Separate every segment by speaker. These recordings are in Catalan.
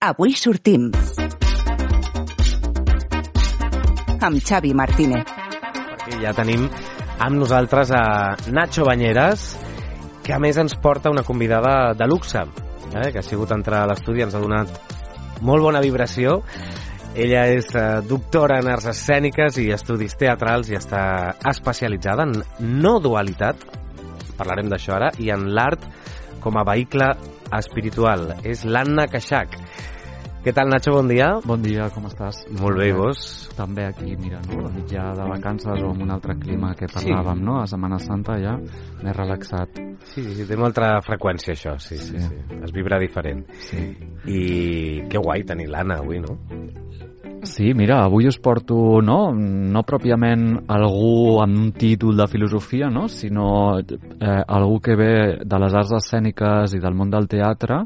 Speaker 1: Avui sortim amb Xavi Martínez.
Speaker 2: Perquè ja tenim amb nosaltres a Nacho Bañeras, que a més ens porta una convidada de luxe, que ha sigut entrar a l'estudi, ens ha donat molt bona vibració. Ella és doctora en arts escèniques i estudis teatrals i està especialitzada en no dualitat, parlarem d'això ara, i en l'art com a vehicle espiritual. És l'Anna Kashak. Què tal, Nacho? Bon dia.
Speaker 3: Bon dia, com estàs?
Speaker 2: Molt bé, i vos?
Speaker 3: També aquí, mira, no? Ja de vacances o amb un altre clima que parlàvem, sí. No? A Setmana Santa ja més relaxat.
Speaker 2: Sí, té una altra freqüència, això, sí. Es vibra diferent.
Speaker 3: Sí.
Speaker 2: I que guai tenir l'Anna avui, no?
Speaker 3: Sí, mira, avui us porto, no pròpiament algú amb un títol de filosofia, no? Sinó algú que ve de les arts escèniques i del món del teatre,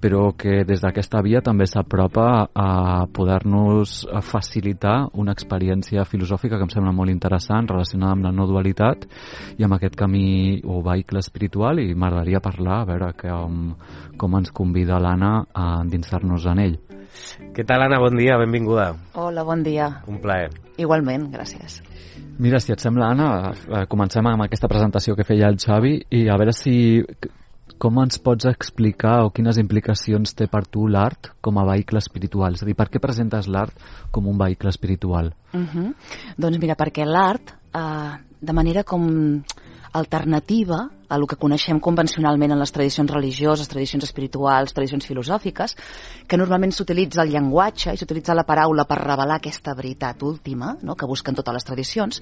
Speaker 3: però que des d'aquesta via també s'apropa a poder-nos facilitar una experiència filosòfica que em sembla molt interessant, relacionada amb la no dualitat i amb aquest camí o vehicle espiritual, i m'agradaria parlar, a veure com ens convida l'Anna a endinsar-nos en ell.
Speaker 2: Què tal, Anna? Bon dia, benvinguda.
Speaker 4: Hola, bon dia.
Speaker 2: Un plaer.
Speaker 4: Igualment, gràcies.
Speaker 3: Mira, si et sembla, Anna, comencem amb aquesta presentació que feia el Xavi i a veure com ens pots explicar o quines implicacions té per tu l'art com a vehicle espiritual? És a dir, per què presentes l'art com un vehicle espiritual?
Speaker 4: Doncs mira, perquè l'art, de manera com alternativa a el que coneixem convencionalment en les tradicions religioses, tradicions espirituals, tradicions filosòfiques, que normalment s'utilitza el llenguatge i s'utilitza la paraula per revelar aquesta veritat última, no?, que busquen totes les tradicions.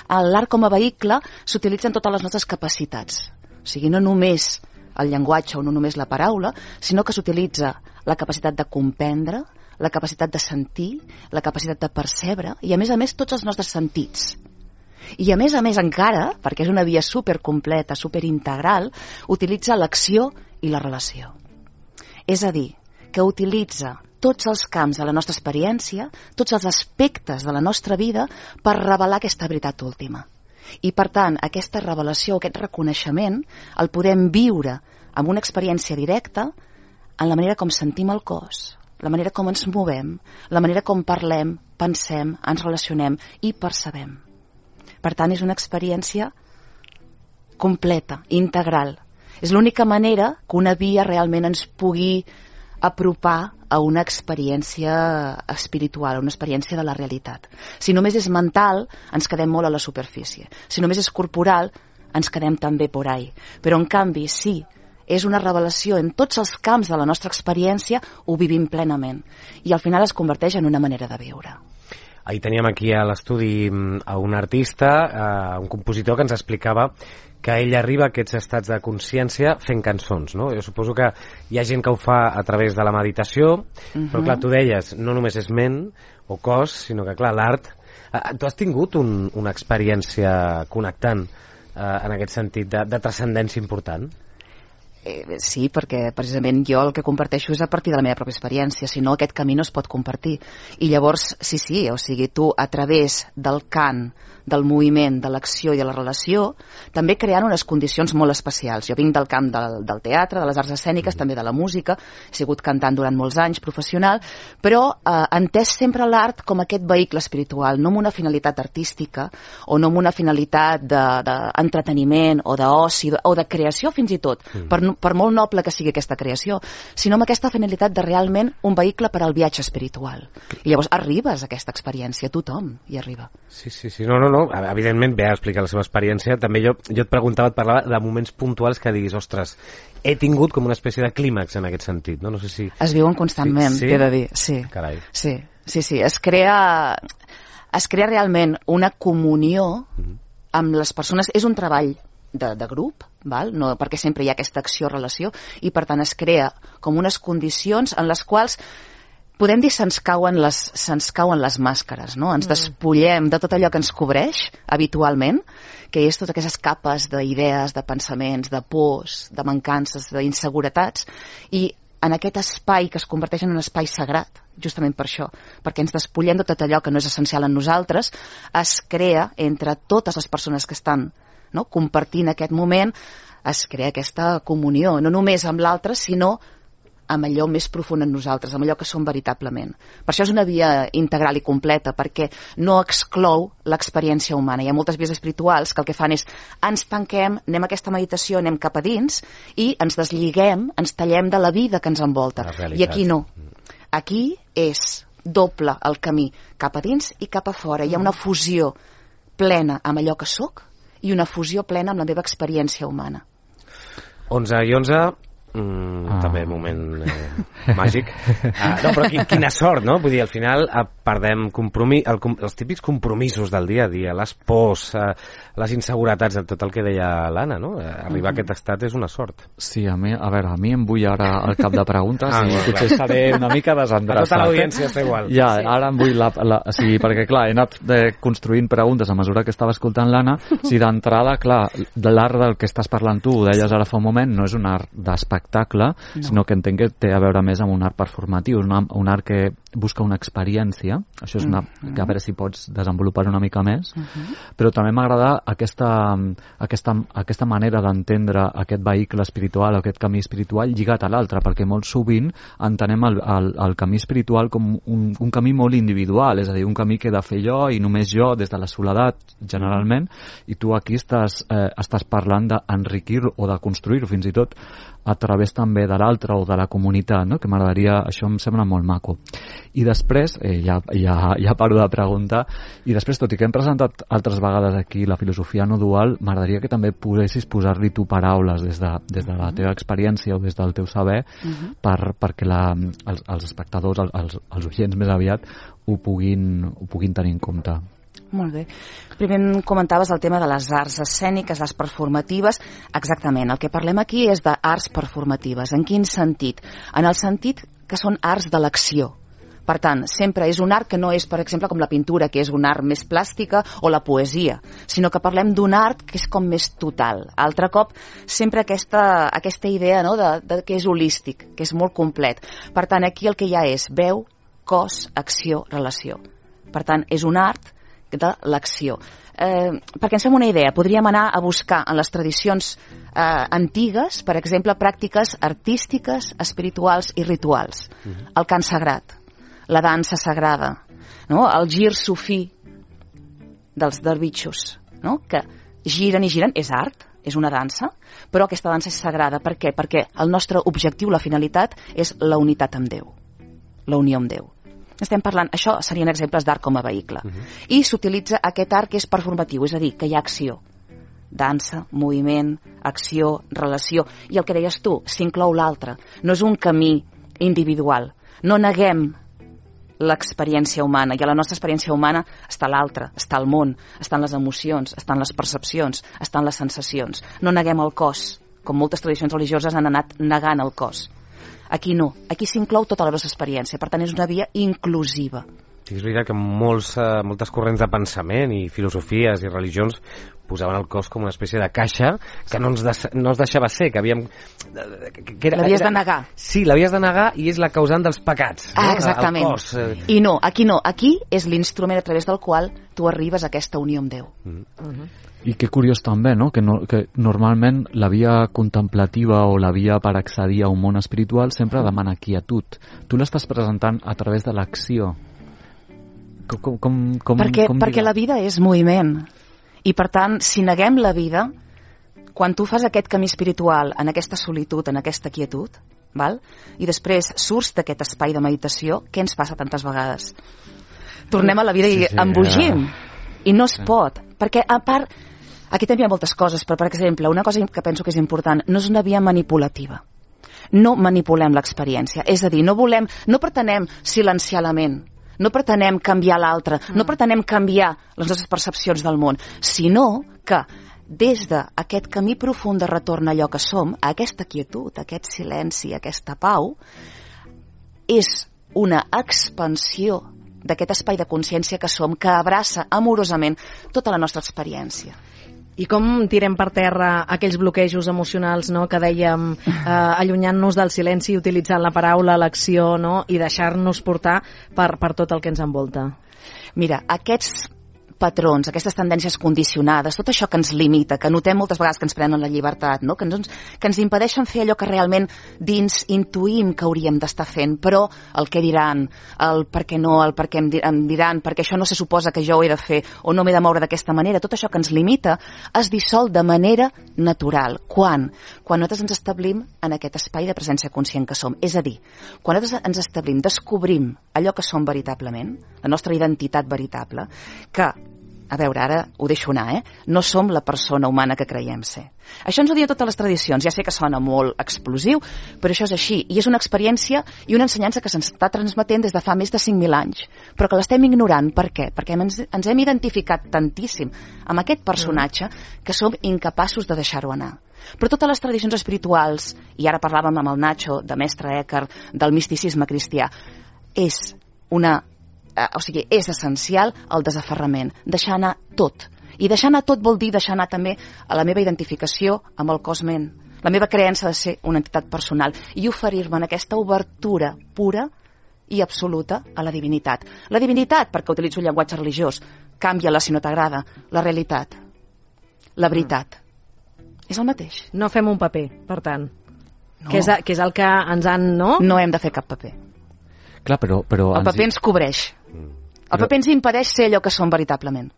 Speaker 4: L'art com a vehicle s'utilitza en totes les nostres capacitats. O sigui, no només el llenguatge o no només la paraula, sinó que s'utilitza la capacitat de comprendre, la capacitat de sentir, la capacitat de percebre i, a més, tots els nostres sentits. I a més encara, perquè és una via supercompleta, superintegral, utilitza l'acció i la relació. És a dir, que utilitza tots els camps de la nostra experiència, tots els aspectes de la nostra vida per revelar aquesta veritat última. I, per tant, aquesta revelació, aquest reconeixement, el podem viure amb una experiència directa en la manera com sentim el cos, la manera com ens movem, la manera com parlem, pensem, ens relacionem i percebem. Per tant, és una experiència completa, integral. És l'única manera que una via realment ens pugui apropar a una experiència espiritual, a una experiència de la realitat. Si només és mental, ens quedem molt a la superfície. Si només és corporal, ens quedem també por ahí. Però, en canvi, sí, és una revelació en tots els camps de la nostra experiència, ho vivim plenament. I al final es converteix en una manera de viure.
Speaker 2: Ahir teníem aquí a l'estudi a un artista, un compositor que ens explicava que ell arriba a aquests estats de consciència fent cançons, no? Jo suposo que hi ha gent que ho fa a través de la meditació, però clar, tu deies, no només és ment o cos, sinó que clar, l'art... Tu has tingut una experiència connectant en aquest sentit de transcendència important?
Speaker 4: Sí, perquè precisament jo el que comparteixo és a partir de la meva pròpia experiència, si no aquest camí no es pot compartir. I llavors, sí, o sigui, tu a través del cant, del moviment, de l'acció i de la relació, també creant unes condicions molt especials. Jo vinc del camp del teatre, de les arts escèniques, també de la música, he sigut cantant durant molts anys, professional, però entès sempre l'art com aquest vehicle espiritual, no amb una finalitat artística o no amb una finalitat d'entreteniment o d'oci o de creació fins i tot, per molt noble que sigui aquesta creació, sinó amb aquesta finalitat de realment un vehicle per al viatge espiritual. I llavors arribes a aquesta experiència, tothom hi arriba.
Speaker 2: Sí, no, evidentment ve a explicar la seva experiència. També jo et preguntava, et parlava de moments puntuals que diguis, ostres, he tingut com una espècie de clímax en aquest sentit, no? No sé si...
Speaker 4: Es viuen constantment,
Speaker 2: sí?
Speaker 4: T'he de dir, sí.
Speaker 2: Carai.
Speaker 4: Sí. Es crea realment una comunió amb les persones. És un treball de grup, val? No, perquè sempre hi ha aquesta acció-relació, i per tant es crea com unes condicions en les quals podem dir se'ns cauen les màscares, no? Ens despullem de tot allò que ens cobreix habitualment, que és totes aquestes capes d'idees, de pensaments, de pors, de mancances, d'inseguretats, i en aquest espai que es converteix en un espai sagrat, justament per això, perquè ens despullem de tot allò que no és essencial en nosaltres, es crea entre totes les persones que estan, no?, compartint aquest moment, es crea aquesta comunió, no només amb l'altre, sinó amb allò més profund en nosaltres, amb allò que som veritablement. Per això és una via integral i completa, perquè no exclou l'experiència humana. Hi ha moltes vies espirituals que el que fan és ens tanquem, anem a aquesta meditació, anem cap a dins i ens desliguem, ens tallem de la vida que ens envolta. I aquí no. Aquí és doble el camí, cap a dins i cap a fora. Hi ha una fusió plena amb allò que sóc i una fusió plena amb la meva experiència humana.
Speaker 2: 11 i 11, també moment màgic. No, però quina sort, no? Vull dir, al final perdem els típics compromisos del dia a dia, les pors, les inseguretats, tot el que deia l'Anna, no? Arribar a aquest estat és una sort.
Speaker 3: Sí, a mi em vull ara al cap de preguntes i potser seré una mica desendreçat.
Speaker 2: A tota l'audiència està igual.
Speaker 3: Ja, ara em vull sí, perquè clar, he anat construint preguntes a mesura que estava escoltant l'Anna. Si d'entrada, clar, de l'art del que estàs parlant tu, ho deies ara fa un moment, no és un art d'espectacle, sinó que entenc que té a veure més amb un art performatiu, un art que busca una experiència. Això és que a veure si pots desenvolupar una mica més, però també m'agrada aquesta manera d'entendre aquest vehicle espiritual, aquest camí espiritual lligat a l'altre, perquè molt sovint entenem el camí espiritual com un camí molt individual, és a dir, un camí que he de fer jo i només jo, des de la soledat generalment, i tu aquí estàs parlant d'enriquir o de construir, fins i tot a través també de l'altre o de la comunitat, no? Que m'agradaria, això em sembla molt maco. I després, ja paro de preguntar, i després, tot i que hem presentat altres vegades aquí la filosofia no dual, m'agradaria que també poguessis posar-li tu paraules des de la teva experiència o des del teu saber perquè els espectadors, els oients més aviat, ho puguin tenir en compte.
Speaker 4: Molt bé. Primer comentaves el tema de les arts escèniques, les performatives. Exactament, el que parlem aquí és d'arts performatives. En quin sentit? En el sentit que són arts de l'acció. Per tant, sempre és un art que no és, per exemple, com la pintura, que és un art més plàstica, o la poesia, sinó que parlem d'un art que és com més total. Altre cop, sempre aquesta idea, no?, de que és holístic, que és molt complet. Per tant, aquí el que hi ha és veu, cos, acció, relació. Per tant, és un art de l'acció. Perquè ens fem una idea, podríem anar a buscar en les tradicions antigues, per exemple, pràctiques artístiques, espirituals i rituals. El cant sagrat, la dansa sagrada, no? El gir sufí dels dervitxos, no? Que giren i giren, és art, és una dansa, però aquesta dansa és sagrada. Per què? Perquè el nostre objectiu, la finalitat, és la unitat amb Déu, la unió amb Déu. Estem parlant, això serien exemples d'art com a vehicle. I s'utilitza aquest art que és performatiu, és a dir, que hi ha acció. Dansa, moviment, acció, relació. I el que deies tu, s'inclou l'altre. No és un camí individual. No neguem l'experiència humana, i a la nostra experiència humana està l'altre, està el món, estan les emocions, estan les percepcions, estan les sensacions. No neguem el cos, com moltes tradicions religioses han anat negant el cos. Aquí no, aquí s'inclou tota la nostra experiència, per tant és una via inclusiva.
Speaker 2: Sí, és veritat que moltes corrents de pensament i filosofies i religions posaven el cos com una espècie de caixa que no es deixava ser, que havíem...
Speaker 4: L'havies de negar.
Speaker 2: Sí, l'havies de negar i és la causant dels pecats. No?
Speaker 4: Exactament.
Speaker 2: El cos.
Speaker 4: I no, aquí és l'instrument a través del qual tu arribes a aquesta unió amb Déu.
Speaker 3: I que curiós també, no? Que normalment la via contemplativa o la via per accedir a un món espiritual sempre demana quietud. Tu l'estàs presentant a través de l'acció.
Speaker 4: Perquè la vida és moviment. I per tant, si neguem la vida, quan tu fas aquest camí espiritual en aquesta solitud, en aquesta quietud, val? I després surts d'aquest espai de meditació, què ens passa tantes vegades? Tornem a la vida i embogim. I no es pot. Perquè, a part, aquí també hi ha moltes coses, però, per exemple, una cosa que penso que és important, no és una via manipulativa. No manipulem l'experiència. És a dir, no pretenem silenciar la ment, no pretenem canviar l'altre, no pretenem canviar les nostres percepcions del món, sinó que des d'aquest camí profund de retorn a allò que som, a aquesta quietud, a aquest silenci, a aquesta pau, és una expansió d'aquest espai de consciència que som, que abraça amorosament tota la nostra experiència.
Speaker 5: I com tirem per terra aquells bloquejos emocionals, no?, que dèiem, allunyant-nos del silenci i utilitzant la paraula, l'acció, no?, i deixar-nos portar per tot el que ens envolta?
Speaker 4: Mira, aquests patrons, aquestes tendències condicionades, tot això que ens limita, que notem moltes vegades que ens prenen la llibertat, no? que ens impedeixen fer allò que realment dins intuïm que hauríem d'estar fent, però el què diran, el per què no, el per què em diran, perquè això no se suposa que jo ho he de fer o no m'he de moure d'aquesta manera, tot això que ens limita es dissol de manera natural. Quan nosaltres ens establim en aquest espai de presència conscient que som. És a dir, quan nosaltres ens establim, descobrim allò que som veritablement, la nostra identitat veritable, que, a veure, ara ho deixo anar, no som la persona humana que creiem ser. Això ens ho diuen totes les tradicions, ja sé que sona molt explosiu, però això és així, i és una experiència i una ensenyança que se'ns està transmetent des de fa més de 5.000 anys, però que l'estem ignorant. Per què? Perquè ens hem identificat tantíssim amb aquest personatge que som incapaços de deixar-ho anar. Però totes les tradicions espirituals, i ara parlàvem amb el Nacho, de Mestre Eckhart, del misticisme cristià, és essencial el desaferrament, deixar anar tot. I deixar anar tot vol dir deixar anar també a la meva identificació amb el cos ment, la meva creença de ser una entitat personal i oferir-me en aquesta obertura pura i absoluta a la divinitat. La divinitat, perquè utilitzo un llenguatge religiós, canvia-la si no t'agrada. La realitat, la veritat, és el mateix.
Speaker 5: No fem un paper, per tant.
Speaker 4: No.
Speaker 5: Que és el que ens han... No
Speaker 4: hem de fer cap paper.
Speaker 3: Clar, però
Speaker 4: el paper ens cobreix. El paper ens impedeix ser allò que som veritablement.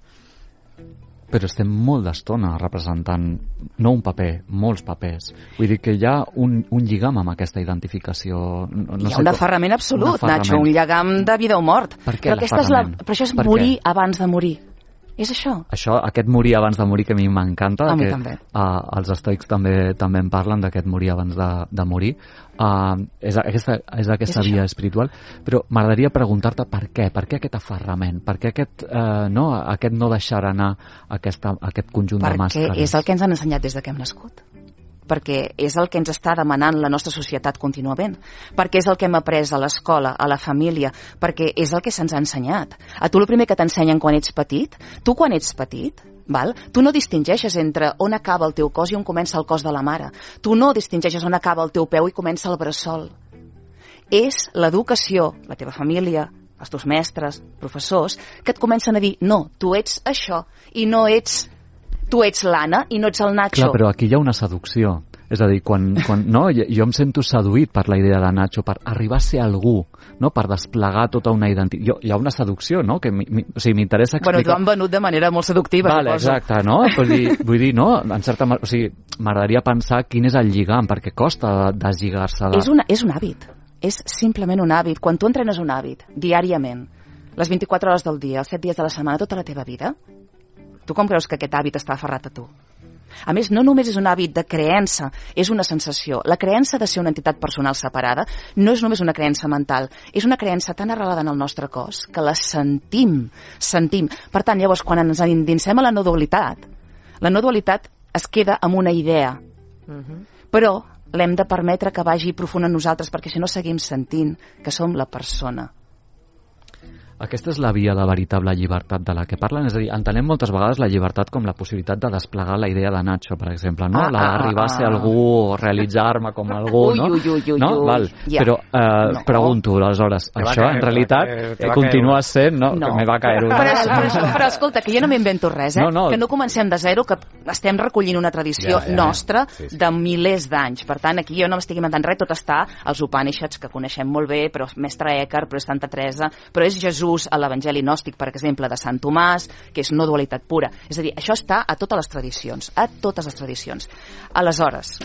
Speaker 3: Però estem molt d'estona representant, no un paper, molts papers. Vull dir que hi ha un lligam amb aquesta identificació.
Speaker 4: Hi ha un aferrament absolut, Nacho, un lligam de vida o mort.
Speaker 3: Per què
Speaker 4: l'aferrament? Però això és morir abans de morir. És això.
Speaker 3: Aquest morir abans de morir, que a mi m'encanta.
Speaker 4: A mi també.
Speaker 3: Els estoics també en parlen, d'aquest morir abans de morir. És aquesta via espiritual. Però m'agradaria preguntar-te per què aquest aferrament, per què aquest no deixar anar aquest conjunt de màscares.
Speaker 4: Perquè és el que ens han ensenyat des que hem nascut. Perquè és el que ens està demanant la nostra societat contínuament, perquè és el que hem après a l'escola, a la família, perquè és el que se'ns ha ensenyat. A tu el primer que t'ensenyen quan ets petit, tu no distingeixes entre on acaba el teu cos i on comença el cos de la mare. Tu no distingeixes on acaba el teu peu i comença el bressol. És l'educació, la teva família, els teus mestres, professors, que et comencen a dir, no, tu ets això i no ets... Tu ets l'Anna i no ets el Nacho.
Speaker 3: Clar, però aquí hi ha una seducció. És a dir, quan jo em sento seduït per la idea de Nacho, per arribar a ser algú, no? Per desplegar tota una identitat. Hi ha una seducció, no? Que m'interessa explicar...
Speaker 4: Bueno, t'ho han venut de manera molt seductiva.
Speaker 3: Vale, exacte, no? Vull dir, no? En certa manera, m'agradaria pensar quin és el lligam, perquè costa deslligar-se de...
Speaker 4: És un hàbit. És simplement un hàbit. Quan tu entrenes un hàbit, diàriament, les 24 hores del dia, els 7 dies de la setmana, tota la teva vida, tu com creus que aquest hàbit està aferrat a tu? A més, no només és un hàbit de creença, és una sensació. La creença de ser una entitat personal separada no és només una creença mental, és una creença tan arrelada en el nostre cos que la sentim. Per tant, llavors, quan ens endinsem a la no dualitat es queda amb una idea. Però l'hem de permetre que vagi profund en nosaltres, perquè si no seguim sentint que som la persona.
Speaker 3: Aquesta és la via de veritable llibertat de la que parlen, és a dir, entenem moltes vegades la llibertat com la possibilitat de desplegar la idea de Nacho, per exemple, no? D'arribar a ser algú o realitzar-me com algú, no? No? Val. Però pregunto, aleshores, això en realitat continua sent, no? Que me va caer una.
Speaker 4: Però escolta, que jo no m'invento res, que no comencem de zero, que estem recollint una tradició nostra de milers d'anys. Per tant, aquí jo no m'estic inventant res, tot està als Upanishads, que coneixem molt bé, però Mestre Eckhart, però és Santa Teresa, però és Jesús a l'Evangeli gnòstic, per exemple, de Sant Tomàs, que és no dualitat pura. És a dir, això està a totes les tradicions, Aleshores,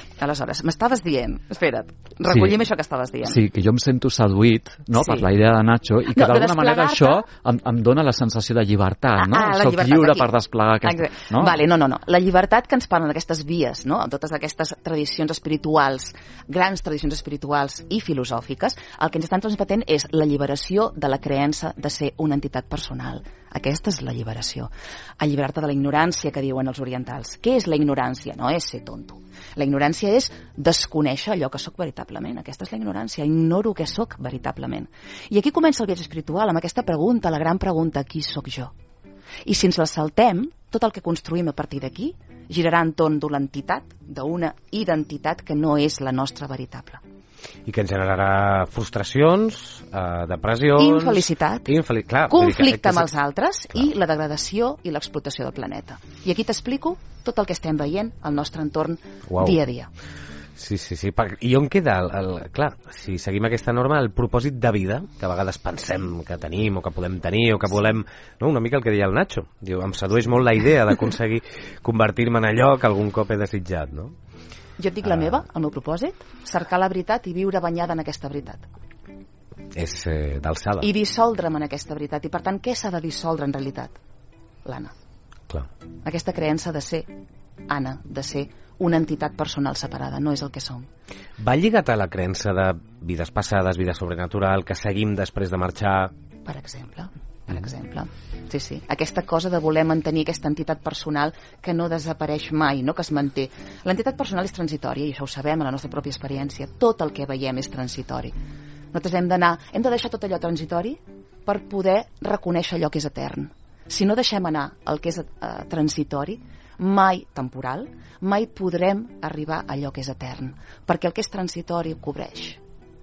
Speaker 4: m'estaves dient, espera't, recollim això que estaves dient.
Speaker 3: Sí, que jo em sento seduït, no?, per la idea de Nacho, i que d'alguna manera això em dona la sensació de llibertat, no? Soc lliure per desplegar aquesta... No?
Speaker 4: Vale, no. La llibertat que ens parlen d'aquestes vies, no?, amb totes aquestes tradicions espirituals, grans tradicions espirituals i filosòfiques, el que ens estan transmetent és la lliberació de la creença de ser una entitat personal. Aquesta és la lliberació. Alliberar-te de la ignorància, que diuen els orientals. Què és la ignorància? No és ser tonto. La ignorància és desconèixer allò que sóc veritablement. Aquesta és la ignorància. Ignoro què sóc veritablement. I aquí comença el viatge espiritual, amb aquesta pregunta, la gran pregunta, qui sóc jo? I si ens la saltem, tot el que construïm a partir d'aquí girarà entorn d'una entitat que no és la nostra veritable.
Speaker 2: i que ens generarà frustracions, depressions...
Speaker 4: Infelicitat,
Speaker 2: Clar,
Speaker 4: conflicte amb els altres i la degradació i l'explotació del planeta. I aquí t'explico tot el que estem veient al nostre entorn dia a dia.
Speaker 2: Sí. I on queda, clar, si seguim aquesta norma, el propòsit de vida, que a vegades pensem que tenim o que podem tenir o que volem... No? Una mica el que deia el Nacho. Diu, em sedueix molt la idea d'aconseguir convertir-me en allò que algun cop he desitjat, no?
Speaker 4: Jo et dic la meva, el meu propòsit, cercar la veritat i viure banyada en aquesta veritat.
Speaker 2: És d'alçada.
Speaker 4: I dissoldre'm en aquesta veritat. I per tant, què s'ha de dissoldre en realitat? L'Anna.
Speaker 2: Clar.
Speaker 4: Aquesta creença de ser Anna, de ser una entitat personal separada, no és el que som.
Speaker 2: Va lligat a la creença de vides passades, vida sobrenatural, que seguim després de marxar?
Speaker 4: Per exemple. Sí. Aquesta cosa de voler mantenir aquesta entitat personal que no desapareix mai, no, que es manté. L'entitat personal és transitòria, i això ho sabem a la nostra pròpia experiència. Tot el que veiem és transitori. Nosaltres hem de deixar tot allò transitori per poder reconèixer allò que és etern. Si no deixem anar el que és transitori, mai temporal, mai podrem arribar a allò que és etern, perquè el que és transitori ho cobreix.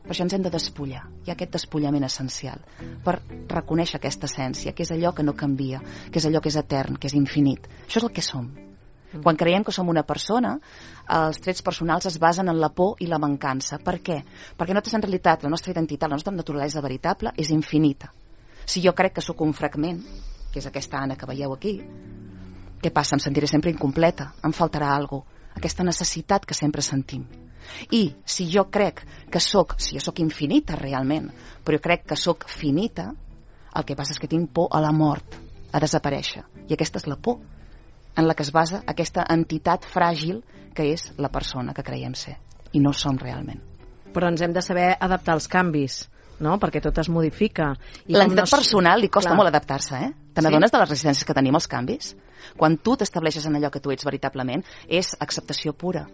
Speaker 4: Per això ens hem de despullar. Hi ha aquest despullament essencial per reconèixer aquesta essència, que és allò que no canvia, que és allò que és etern, que és infinit. Això és el que som. Quan creiem que som una persona, els trets personals es basen en la por i la mancança. Per què? Perquè nosaltres, en realitat, la nostra identitat, la nostra naturalesa veritable és infinita. Si jo crec que sóc un fragment, que és aquesta Anna que veieu aquí, què passa? Em sentiré sempre incompleta, em faltarà alguna cosa, aquesta necessitat que sempre sentim. I si jo crec que si jo sóc infinita realment, però jo crec que sóc finita, el que passa és que tinc por a la mort, a desaparèixer. I aquesta és la por en la que es basa aquesta entitat fràgil que és la persona que creiem ser. I no som realment.
Speaker 5: Però ens hem de saber adaptar als canvis, no? Perquè tot es modifica.
Speaker 4: L'entitat personal li costa molt adaptar-se, eh? Te n'adones de les resistències que tenim als canvis? Quan tu t'estableixes en allò que tu ets veritablement, és acceptació pura.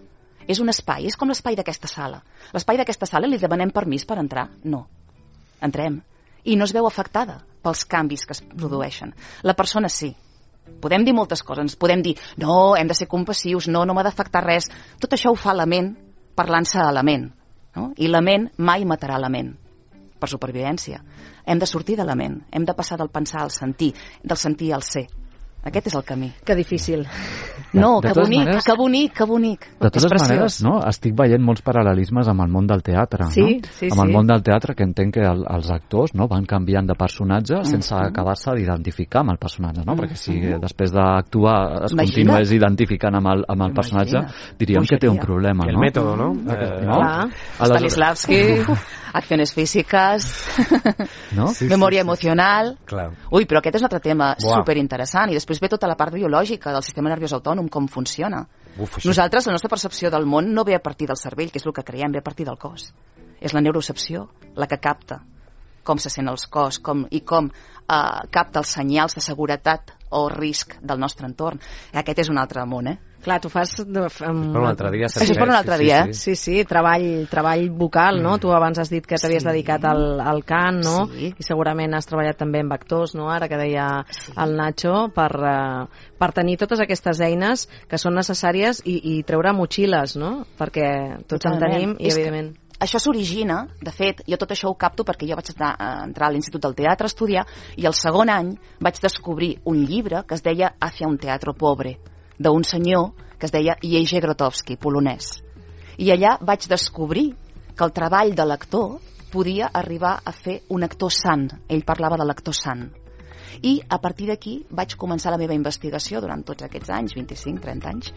Speaker 4: És un espai, és com l'espai d'aquesta sala. L'espai d'aquesta sala li demanem permís per entrar? No. Entrem. I no es veu afectada pels canvis que es produeixen. La persona sí. Podem dir moltes coses, ens podem dir no, hem de ser compassius, no m'ha d'afectar res. Tot això ho fa la ment parlant-se a la ment, no? I la ment mai matarà la ment per supervivència. Hem de sortir de la ment, hem de passar del pensar al sentir, del sentir al ser. Aquest és el camí.
Speaker 5: Que difícil.
Speaker 4: No, que bonic, que bonic, que bonic.
Speaker 3: De totes maneres, no? Estic veient molts paral·lelismes amb el món del teatre,
Speaker 5: sí,
Speaker 3: no?
Speaker 5: Sí,
Speaker 3: amb el món del teatre, que entenc que els actors, no, van canviant de personatge sense acabar-se d'identificar amb el personatge, no? Perquè si després d'actuar es continués identificant amb el personatge, diríem que té un problema, no?
Speaker 2: El mètode, no?
Speaker 4: Stanislavski, acciones físiques,
Speaker 3: no?
Speaker 4: memòria emocional...
Speaker 2: Clar.
Speaker 4: Ui, però aquest és un altre tema superinteressant. I després ve tota la part biològica del sistema nerviós autònom, com funciona. Nosaltres, la nostra percepció del món no ve a partir del cervell, que és el que creiem, ve a partir del cos. És la neurocepció la que capta com se sent el cos com capta els senyals de seguretat o risc del nostre entorn. Aquest és un altre món,
Speaker 5: Clar, tu fas...
Speaker 2: Per un altre dia.
Speaker 4: Això és per un altre dia,
Speaker 5: Sí, treball vocal, no? Tu abans has dit que t'havies dedicat al cant, no?
Speaker 4: Sí.
Speaker 5: I segurament has treballat també amb actors, no? Ara que deia el Nacho, per tenir totes aquestes eines que són necessàries i treure motxilles, no? Perquè tots en tenim i, evidentment...
Speaker 4: Això s'origina, de fet, jo tot això ho capto perquè jo vaig entrar a l'Institut del Teatre a estudiar i el segon any vaig descobrir un llibre que es deia Hacia un teatro pobre, d'un senyor que es deia Jerzy Grotowski, polonès. I allà vaig descobrir que el treball de l'actor podia arribar a fer un actor sant. Ell parlava de l'actor sant. I a partir d'aquí vaig començar la meva investigació durant tots aquests anys, 25-30 anys.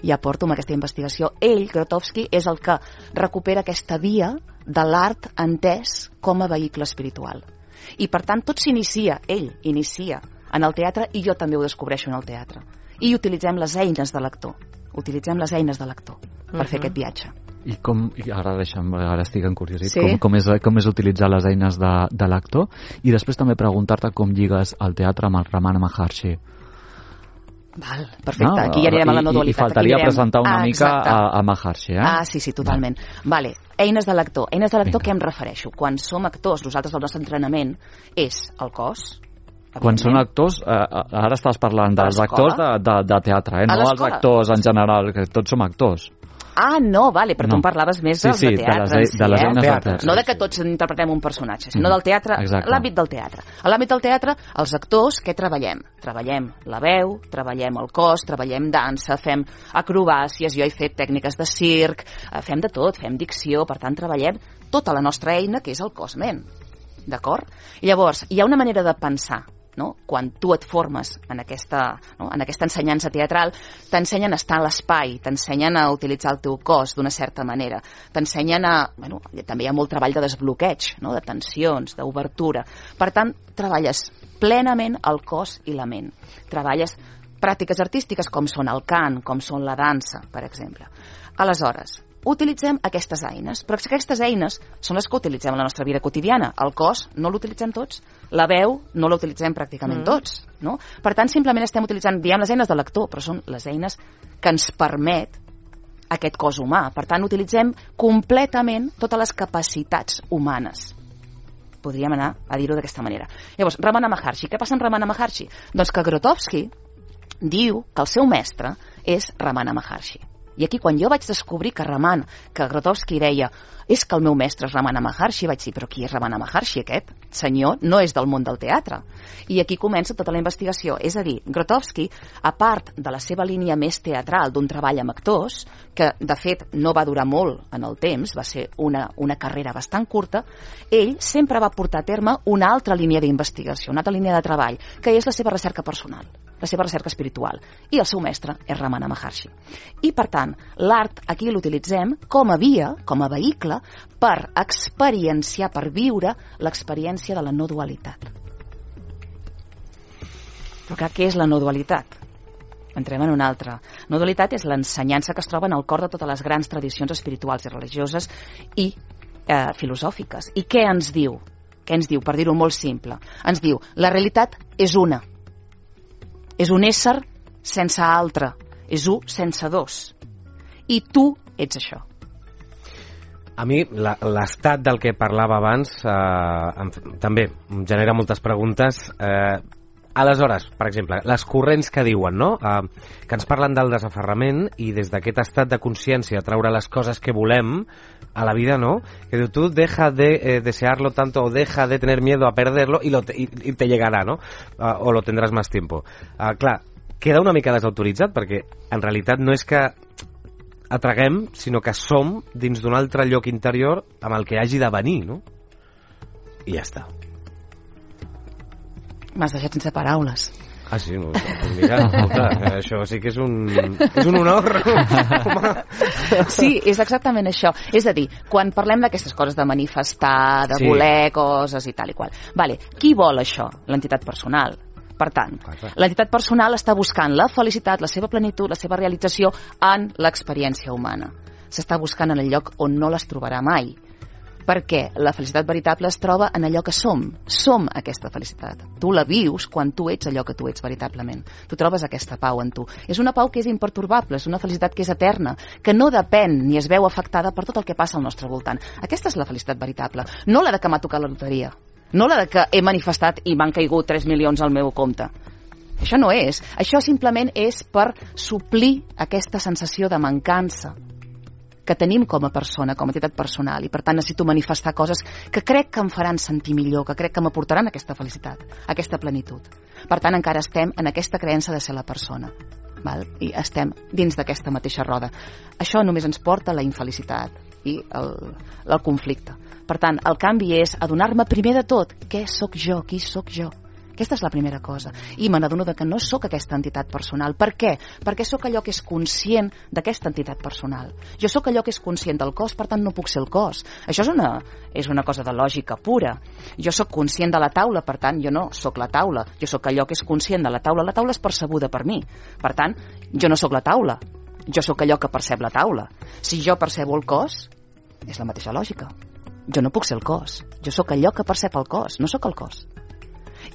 Speaker 4: Ja porto amb aquesta investigació. Ell, Grotowski, és el que recupera aquesta via de l'art entès com a vehicle espiritual. I per tant tot s'inicia, ell inicia en el teatre i jo també ho descobreixo en el teatre. I utilitzem les eines de l'actor. Utilitzem les eines de l'actor per fer aquest viatge.
Speaker 3: I ara estic encuriosit, com és utilitzar les eines de l'actor, i després també preguntar-te com lligues el teatre amb el Ramana Maharshi.
Speaker 4: Val, perfecte, aquí ja anirem a la no dualitat.
Speaker 3: I faltaria presentar una mica a Maharshi,
Speaker 4: sí, totalment. Vale, eines de l'actor. Eines de l'actor, què em refereixo? Quan som actors, nosaltres el nostre entrenament és el cos.
Speaker 3: Quan són actors, ara estàs parlant dels actors de teatre, no els actors en general, que tots som actors.
Speaker 4: no, vale, però tu em parlaves més de teatre.
Speaker 3: De les eines del teatre.
Speaker 4: No de que tots interpretem un personatge, sinó del teatre, l'àmbit del teatre. A l'àmbit del teatre, els actors, què treballem? Treballem la veu, treballem el cos, treballem dansa, fem acrobàcies, jo he fet tècniques de circ, fem de tot, fem dicció, per tant, treballem tota la nostra eina, que és el cos-ment. D'acord? I llavors, hi ha una manera de pensar, no? Quan tu et formes en aquesta ensenyança teatral, t'ensenyen a estar en l'espai, t'ensenyen a utilitzar el teu cos d'una certa manera, t'ensenyen a... també hi ha molt treball de desbloqueig, no? De tensions, d'obertura. Per tant, treballes plenament el cos i la ment. Treballes pràctiques artístiques com són el cant, com són la dansa, per exemple. Aleshores, utilitzem aquestes eines, però aquestes eines són les que utilitzem a la nostra vida quotidiana. El cos no l'utilitzem tots, la veu no l'utilitzem pràcticament tots, no? Per tant, simplement estem utilitzant, diem, les eines de l'actor, però són les eines que ens permet aquest cos humà. Per tant, utilitzem completament totes les capacitats humanes. Podríem anar a dir-ho d'aquesta manera. Llavors, Ramana Maharshi. Què passa amb Ramana Maharshi? Doncs que Grotowski diu que el seu mestre és Ramana Maharshi. I aquí, quan jo vaig descobrir que Grotowski deia és que el meu mestre és Ramana Maharshi, vaig dir, però qui és Ramana Maharshi, aquest senyor? No és del món del teatre. I aquí comença tota la investigació. És a dir, Grotowski, a part de la seva línia més teatral d'un treball amb actors, que de fet no va durar molt en el temps, va ser una carrera bastant curta, ell sempre va portar a terme una altra línia d'investigació, una altra línia de treball, que és la seva recerca personal, la seva recerca espiritual. I el seu mestre és Ramana Maharshi. I, per tant, l'art aquí l'utilitzem com a via, com a vehicle, per experienciar, per viure l'experiència de la no dualitat. Però clar, què és la no dualitat? Entrem en una altra. No dualitat és l'ensenyança que es troba en el cor de totes les grans tradicions espirituals i religioses i filosòfiques. I què ens diu? Què ens diu? Per dir-ho molt simple. Ens diu, la realitat és una. És un ésser sense altre. És un sense dos. I tu ets això.
Speaker 2: A mi l'estat del que parlava abans també em genera moltes preguntes. Aleshores, per exemple, les corrents que diuen, no? Que ens parlen del desaferrament i des d'aquest estat de consciència treure les coses que volem a la vida, ¿no? Que diu, tú deja de desearlo tanto o deja de tener miedo a perderlo y te llegará, ¿no? O lo tendrás más tiempo. Clar, queda una mica desautoritzat perquè en realitat no és que atraguem, sinó que som dins d'un altre lloc interior amb el que hagi de venir, no? I ja està.
Speaker 4: M'has deixat sense paraules.
Speaker 2: Ah, sí? No, mira, escolta, això sí que és un honor.
Speaker 4: Sí, és exactament això. És a dir, quan parlem d'aquestes coses de manifestar, de voler coses i tal i qual. Vale, qui vol això? L'entitat personal. Per tant, l'entitat personal està buscant la felicitat, la seva plenitud, la seva realització en l'experiència humana. S'està buscant en el lloc on no les trobarà mai. Perquè la felicitat veritable es troba en allò que som. Som aquesta felicitat. Tu la vius quan tu ets allò que tu ets veritablement. Tu trobes aquesta pau en tu. És una pau que és impertorbable, és una felicitat que és eterna, que no depèn ni es veu afectada per tot el que passa al nostre voltant. Aquesta és la felicitat veritable, no la de que m'ha tocat la loteria. No la de que he manifestat i m'han caigut 3 milions al meu compte. Això no és. Això simplement és per suplir aquesta sensació de mancança que tenim com a persona, com a entitat personal, i per tant necessito manifestar coses que crec que em faran sentir millor, que crec que m'aportaran aquesta felicitat, aquesta plenitud. Per tant, encara estem en aquesta creença de ser la persona. Val? I estem dins d'aquesta mateixa roda. Això només ens porta a la infelicitat i el conflicte. Per tant, el canvi és adonar-me primer de tot què sóc jo, qui sóc jo. Aquesta és la primera cosa. I me n'adono que no sóc aquesta entitat personal. Per què? Perquè sóc allò que és conscient d'aquesta entitat personal. Jo sóc allò que és conscient del cos, per tant no puc ser el cos. Això és una cosa de lògica pura. Jo sóc conscient de la taula, per tant jo no sóc la taula. Jo sóc allò que és conscient de la taula. La taula és percebuda per mi. Per tant, jo no sóc la taula. Jo sóc allò que percep la taula. Si jo percebo el cos, és la mateixa lògica. Jo no puc ser el cos. Jo sóc allò que percep el cos, no sóc el cos.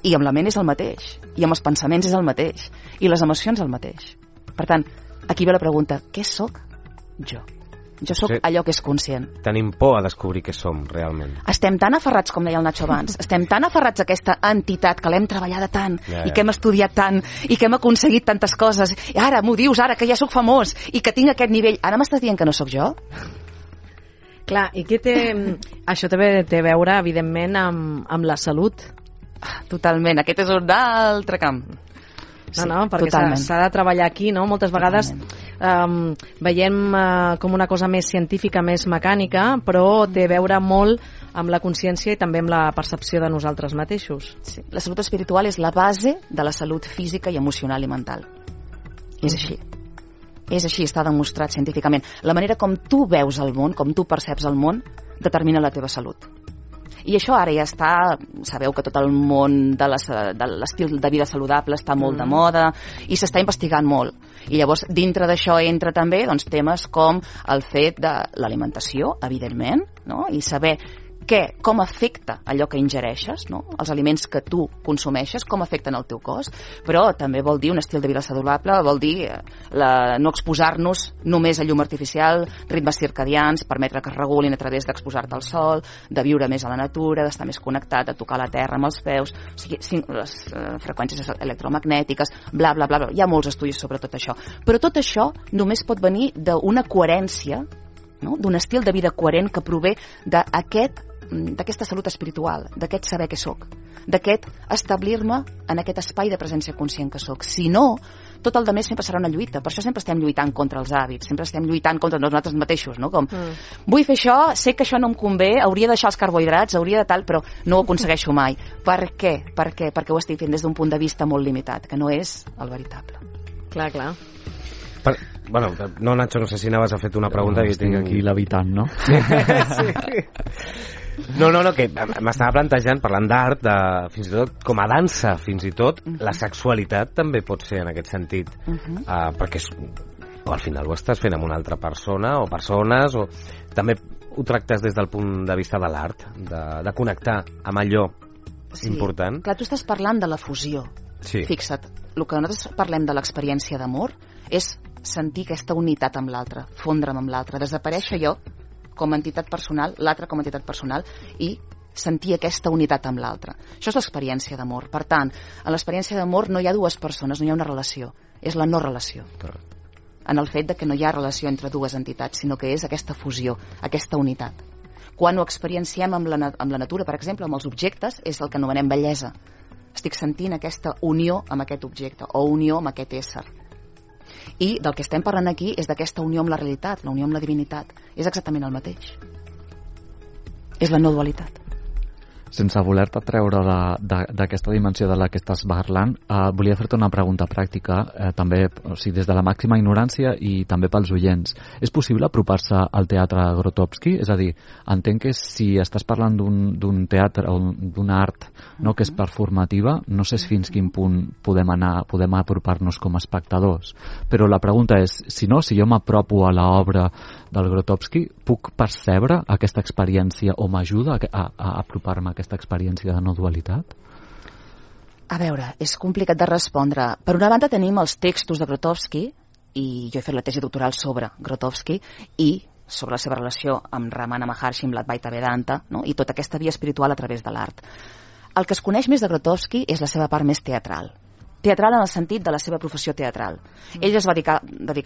Speaker 4: I amb la ment és el mateix, i amb els pensaments és el mateix, i les emocions el mateix. Per tant, aquí ve la pregunta, què sóc jo? Jo sóc allò que és conscient.
Speaker 2: Tenim por a descobrir què som, realment.
Speaker 4: Estem tan aferrats, com deia el Nacho abans, estem tan aferrats a aquesta entitat que l'hem treballada tant, i que hem estudiat tant, i que hem aconseguit tantes coses, i ara m'ho dius, ara que ja sóc famós, i que tinc aquest nivell, ara m'estàs dient que no sóc jo?
Speaker 5: Clar, i què té... Això també té a veure, evidentment, amb la salut.
Speaker 4: Totalment, aquest és un altre camp.
Speaker 5: No, perquè s'ha de treballar aquí, no? Moltes vegades veiem com una cosa més científica, més mecànica, però té a veure molt amb la consciència i també amb la percepció de nosaltres mateixos.
Speaker 4: Sí. La salut espiritual és la base de la salut física i emocional i mental. És així. És així, està demostrat científicament. La manera com tu veus el món, com tu perceps el món, determina la teva salut. I això ara ja està, sabeu que tot el món de l'estil de vida saludable està molt de moda i s'està investigant molt. I llavors dintre d'això entra també temes com el fet de l'alimentació, evidentment, no? I saber com afecta allò que ingereixes, no? Els aliments que tu consumeixes, com afecten el teu cos, però també vol dir un estil de vida saludable, vol dir no exposar-nos només a llum artificial, ritmes circadians, permetre que es regulin a través d'exposar-te al sol, de viure més a la natura, d'estar més connectat, de tocar la terra amb els peus, o sigui, les freqüències electromagnètiques, bla, bla, bla, hi ha molts estudis sobre tot això. Però tot això només pot venir d'una coherència, no? D'un estil de vida coherent que prové d'aquesta salut espiritual, d'aquest saber què sóc, d'aquest establir-me en aquest espai de presència conscient que sóc. Si no, tot el demés sempre serà una lluita. Per això sempre estem lluitant contra els hàbits, sempre estem lluitant contra nosaltres mateixos, no? Com, vull fer això, sé que això no em convé, hauria de deixar els carbohidrats, hauria de tal, però no ho aconsegueixo mai. Per què? Perquè ho estic fent des d'un punt de vista molt limitat, que no és el veritable.
Speaker 5: Clar.
Speaker 2: Bueno, no, Nacho, no sé si anaves a fer una pregunta.
Speaker 3: No, estic aquí levitant, no?
Speaker 2: Sí. No, que m'estava plantejant, parlant d'art, fins i tot com a dansa, fins i tot, la sexualitat també pot ser en aquest sentit, perquè al final ho estàs fent amb una altra persona o persones, o també ho tractes des del punt de vista de l'art, de connectar amb allò important.
Speaker 4: Clar, tu estàs parlant de la fusió.
Speaker 2: Sí.
Speaker 4: Fixa't, el que nosaltres parlem de l'experiència d'amor és sentir aquesta unitat amb l'altre, fondre'm amb l'altre, desaparèixer jo com a entitat personal, l'altre com a entitat personal, i sentir aquesta unitat amb l'altre. Això és l'experiència d'amor. Per tant, en l'experiència d'amor no hi ha dues persones, no hi ha una relació, és la no relació. En el fet de que no hi ha relació entre dues entitats, sinó que és aquesta fusió, aquesta unitat. Quan ho experienciem amb la natura, per exemple, amb els objectes, és el que anomenem bellesa. Estic sentint aquesta unió amb aquest objecte, o unió amb aquest ésser. I del que estem parlant aquí és d'aquesta unió amb la realitat, la unió amb la divinitat. És exactament el mateix. És la no dualitat.
Speaker 3: Sense voler-te treure d'aquesta dimensió de la que estàs parlant, volia fer-te una pregunta pràctica, també, o sigui, des de la màxima ignorància i també pels oients. És possible apropar-se al teatre Grotowski? És a dir, entenc que si estàs parlant d'un teatre o d'un art, no, que és performativa, no sé fins quin punt podem apropar-nos com a espectadors. Però la pregunta és, si jo m'apropo a l'obra del Grotowski, puc percebre aquesta experiència o m'ajuda a apropar-me a aquesta experiència de no dualitat?
Speaker 4: A veure, és complicat de respondre. Per una banda tenim els textos de Grotowski, i jo he fet la tesi doctoral sobre Grotowski, i sobre la seva relació amb Ramana Maharshi, amb l'Advaita Vedanta, no? I tota aquesta via espiritual a través de l'art. El que es coneix més de Grotowski és la seva part més teatral. Teatral en el sentit de la seva professió teatral. Ell es va dedicar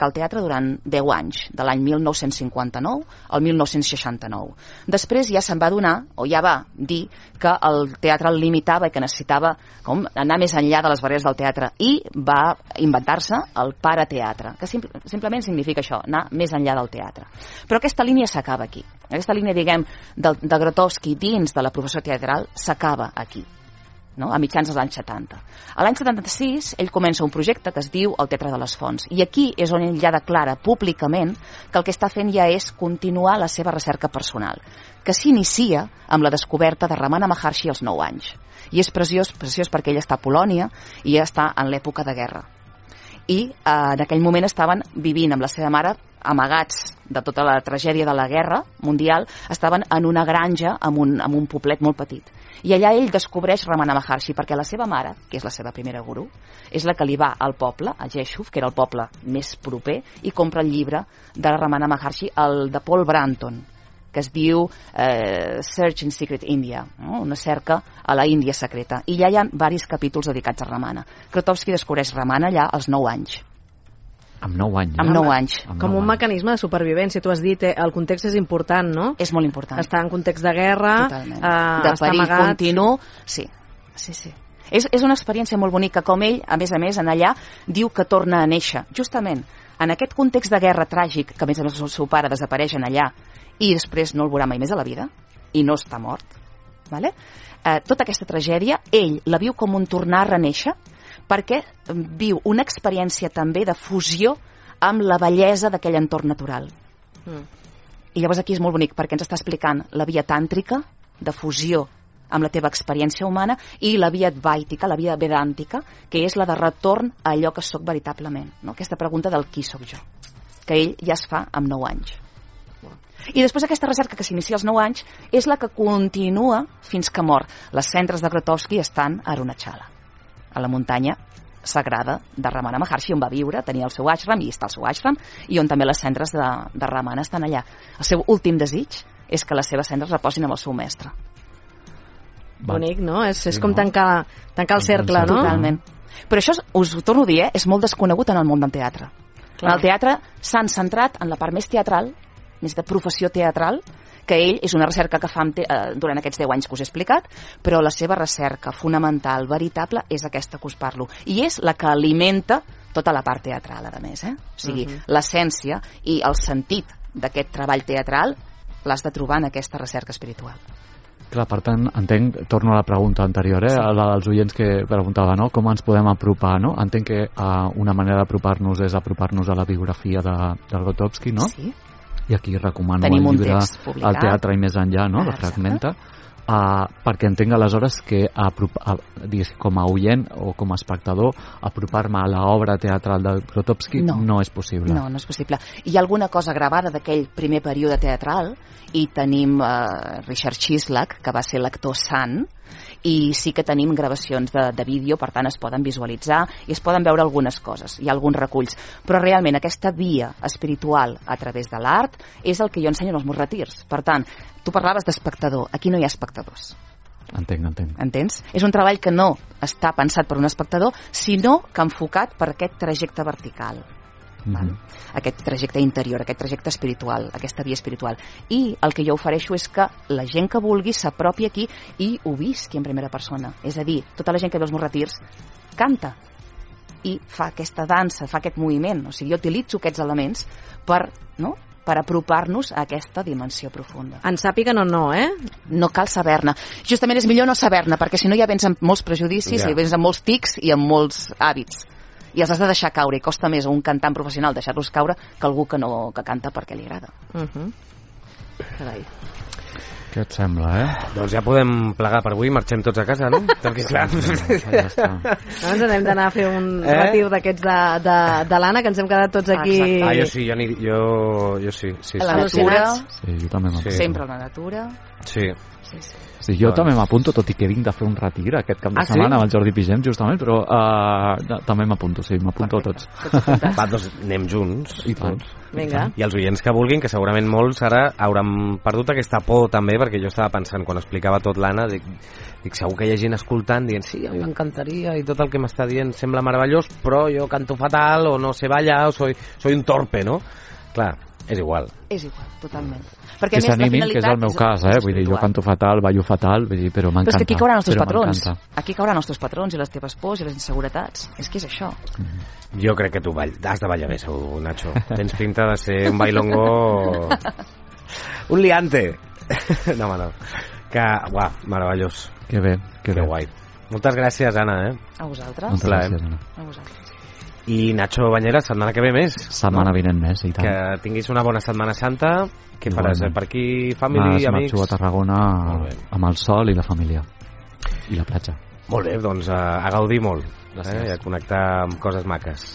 Speaker 4: al teatre durant 10 anys, de l'any 1959 al 1969. Després ja se'n va adonar, o ja va dir, que el teatre el limitava i que necessitava anar més enllà de les barreres del teatre, i va inventar-se el parateatre, que simplement significa això, anar més enllà del teatre. Però aquesta línia s'acaba aquí. Aquesta línia, diguem, de Grotowski dins de la professió teatral s'acaba aquí, no? A mitjans dels anys 70. A l'any 76 ell comença un projecte que es diu el Teatre de les Fonts, i aquí és on ell ja declara públicament que el que està fent ja és continuar la seva recerca personal, que s'inicia amb la descoberta de Ramana Maharshi als 9 anys. I és preciós perquè ell està a Polònia i ja està en l'època de guerra. I en aquell moment estaven vivint amb la seva mare, amagats de tota la tragèdia de la guerra mundial, estaven en una granja amb un poblet molt petit. I allà ell descobreix Ramana Maharshi, perquè la seva mare, que és la seva primera gurú, és la que li va al poble, a Jeshuf, que era el poble més proper, i compra el llibre de Ramana Maharshi, el de Paul Branton, que es diu Search in Secret India, no? Una cerca a la Índia secreta. I ja hi ha diversos capítols dedicats a Ramana. Krotowski descobreix Ramana allà als 9 anys.
Speaker 3: Amb 9 anys.
Speaker 4: Amb 9 anys.
Speaker 5: Com un mecanisme de supervivència. Tu has dit, el context és important, no?
Speaker 4: És molt important.
Speaker 5: Està en context de guerra,
Speaker 4: de perill continu. Sí. És una experiència molt bonica, com ell, a més, en allà, diu que torna a néixer. Justament, en aquest context de guerra tràgic, que a més el seu pare desapareix en allà, i després no el veurà mai més a la vida, i no està mort, vale? Tota aquesta tragèdia, ell la viu com un tornar a renéixer, perquè viu una experiència també de fusió amb la bellesa d'aquell entorn natural. I llavors aquí és molt bonic, perquè ens està explicant la via tàntrica de fusió amb la teva experiència humana i la via advaitica, la via vedàntica, que és la de retorn a allò que sóc veritablement, no? Aquesta pregunta del qui sóc jo, que ell ja es fa amb 9 anys. I després aquesta recerca que s'inicia als 9 anys és la que continua fins que mor. Les cendres de Krotowski estan a Arunachala, a la muntanya sagrada de Ramana Maharshi, on va viure, tenia el seu ashram, i està el seu ashram, i on també les cendres de Ramana estan allà. El seu últim desig és que les seves cendres reposin amb el seu mestre.
Speaker 5: Bonic, no? És com tancar el cercle, no?
Speaker 4: Totalment. Però això, us ho torno a dir, és molt desconegut en el món del teatre. En el teatre s'han centrat en la part més teatral, més de professió teatral, que ell és una recerca que fa durant aquests 10 anys que us he explicat, però la seva recerca fonamental, veritable, és aquesta que us parlo. I és la que alimenta tota la part teatral, a més. O sigui, l'essència i el sentit d'aquest treball teatral l'has de trobar en aquesta recerca espiritual.
Speaker 3: Clar, per tant, entenc, torno a la pregunta anterior, la dels oients que preguntava, no? Com ens podem apropar, no? Entenc que una manera d'apropar-nos és apropar-nos a la biografia de Grotowski, no?
Speaker 4: Sí.
Speaker 3: I aquí recomano el llibre El teatre i més enllà, no? De Fragmenta, perquè entenc aleshores que com a oient o com a espectador apropar-me a l'obra teatral de Grotowski no és possible.
Speaker 4: No és possible. Hi ha alguna cosa gravada d'aquell primer període teatral, i tenim Richard Chislak, que va ser l'actor sant, i sí que tenim gravacions de vídeo, per tant es poden visualitzar i es poden veure algunes coses, hi ha alguns reculls, però realment aquesta via espiritual a través de l'art és el que jo ensenyo en els meus retirs. Per tant, tu parlaves d'espectador, aquí no hi ha espectadors.
Speaker 3: Entenc.
Speaker 4: Entens? És un treball que no està pensat per un espectador, sinó que enfocat per aquest trajecte vertical. Aquest trajecte interior, aquest trajecte espiritual, aquesta via espiritual. I el que jo ofereixo és que la gent que vulgui s'apropi aquí i ho visqui en primera persona. És a dir, tota la gent que ve als meus retirs canta i fa aquesta dansa, fa aquest moviment. O sigui, jo utilitzo aquests elements per apropar-nos a aquesta dimensió profunda.
Speaker 5: En sàpiga no,
Speaker 4: No cal saber-ne. Justament és millor no saber-ne, perquè si no ja vens amb molts prejudicis, i vens amb molts tics i amb molts hàbits. I els has de deixar caure, i costa més a un cantant professional deixar-los caure que algú que canta perquè li agrada.
Speaker 5: Carai.
Speaker 3: Què et sembla,
Speaker 2: Doncs ja podem plegar per avui, marxem tots a casa, no? Perquè clar...
Speaker 5: Ens anem d'anar a fer un retir d'aquests de l'Anna, que ens hem quedat tots aquí...
Speaker 2: Jo sí, jo sí.
Speaker 4: A la natura.
Speaker 3: Sí, jo també m'apunto.
Speaker 4: Sempre a la natura.
Speaker 3: Sí, jo també m'apunto, tot i que vinc de fer un retir aquest cap de setmana amb el Jordi Pigem, justament, però també m'apunto, m'apunto a tots.
Speaker 2: Va, doncs anem junts.
Speaker 3: I tots.
Speaker 5: Vinga.
Speaker 2: I els oients que vulguin, que segurament molts ara hauran perdut aquesta por també, perquè jo estava pensant, quan explicava tot l'Anna, dic segur que hi ha gent escoltant dient sí, a mi m'encantaria i tot el que m'està dient sembla meravellós, però jo canto fatal o no sé ballar o soy un torpe, no? Clar, és igual.
Speaker 4: És igual, totalment.
Speaker 3: Perquè que s'animin, que és el meu cas, vull dir, jo canto fatal, ballo fatal, vull dir, però m'encanta.
Speaker 4: Però és que aquí cauran els teus patrons. Aquí cauran els teus patrons i les teves pors i les inseguretats. És que és això.
Speaker 2: Jo crec que tu has de ballar bé, segur, Nacho. Tens pinta de ser un bailongo... un liante. No. Que, uah, meravellós.
Speaker 3: Que bé, que
Speaker 2: guai. Moltes gràcies, Anna,
Speaker 4: A vosaltres.
Speaker 3: Moltes gràcies, Anna.
Speaker 4: A vosaltres.
Speaker 2: I Nacho Bañeras, setmana que ve més.
Speaker 3: Setmana vinent més, i tant.
Speaker 2: Que tinguis una bona Setmana Santa. Què faràs? Per aquí, família, amics?
Speaker 3: Marxo a Tarragona amb el sol i la família. I la platja.
Speaker 2: Molt bé, doncs a gaudir molt. I a connectar amb coses maques.